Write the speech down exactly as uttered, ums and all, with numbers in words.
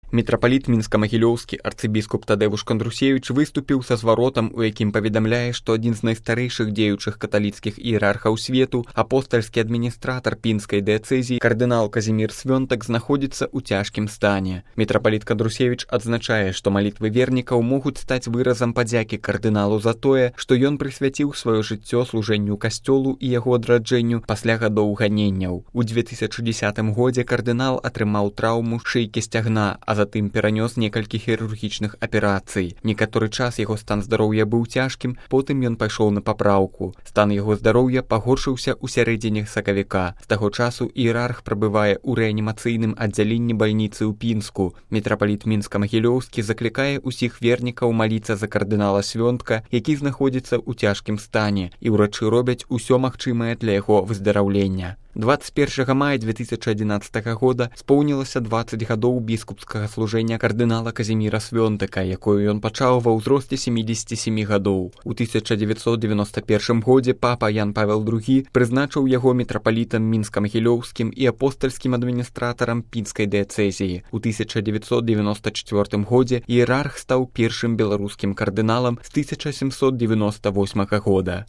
Мітрапаліт мінска-магілёўскі арцыбіскуп Тадэвуш Кандрусевіч выступіў са зваротам, у якім паведамляе, што адзін з найстарэйшых дзеючых каталіцкіх іерархаў свету, апостальскі адміністратар пінскай дыяцэзіі кардынал Казімір Свёнтак знаходзіцца ў цяжкім стане. Мітрапаліт Кандрусевіч адзначае, што малітвы вернікаў могуць стаць выразам падзякі кардыналу за тое, што ён прысвяціў сваё жыццё служэнню касцёлу і яго адраджэнню пасля гадоў ганенняў. У дзве тысячы дзесятым годзе кардынал атрымаў траўму шыйкі сцягна, а затым перанёс некалькі хірургічных аперацый. Некаторы час яго стан здароўя быў цяжкім, потым ён пайшоў на папраўку. Стан яго здароўя пагоршыўся ў сярэдзіне сакавіка. З таго часу іерарх прабывае ў рэанімацыйным аддзяленні бальніцы ў Пінску. Мітрапаліт мінска-магілёўскі заклікае ўсіх вернікаў маліцца за кардынала Свёнтка, які знаходзіцца ў цяжкім стане, і ўрачы робяць усё магчымае для яго выздараўлення. дваццаць першага мая дзве тысячы адзінаццатага года споўнілася дваццаць гадоў біскупскага служэння кардынала Казіміра Свёнтака, якое ён пачаў ва ўзросце семідзесяці сямі гадоў. У тысяча дзевяцьсот дзевяноста першым годзе папа Ян Павел другі прызначыў яго мітрапалітам мінска-магілёўскім і апостальскім адміністратарам пінскай дыяцэзіі. У тысяча дзевяцьсот дзевяноста чацвёртым годзе іерарх стаў першым беларускім кардыналам з тысяча сямсот дзевяноста восьмага года.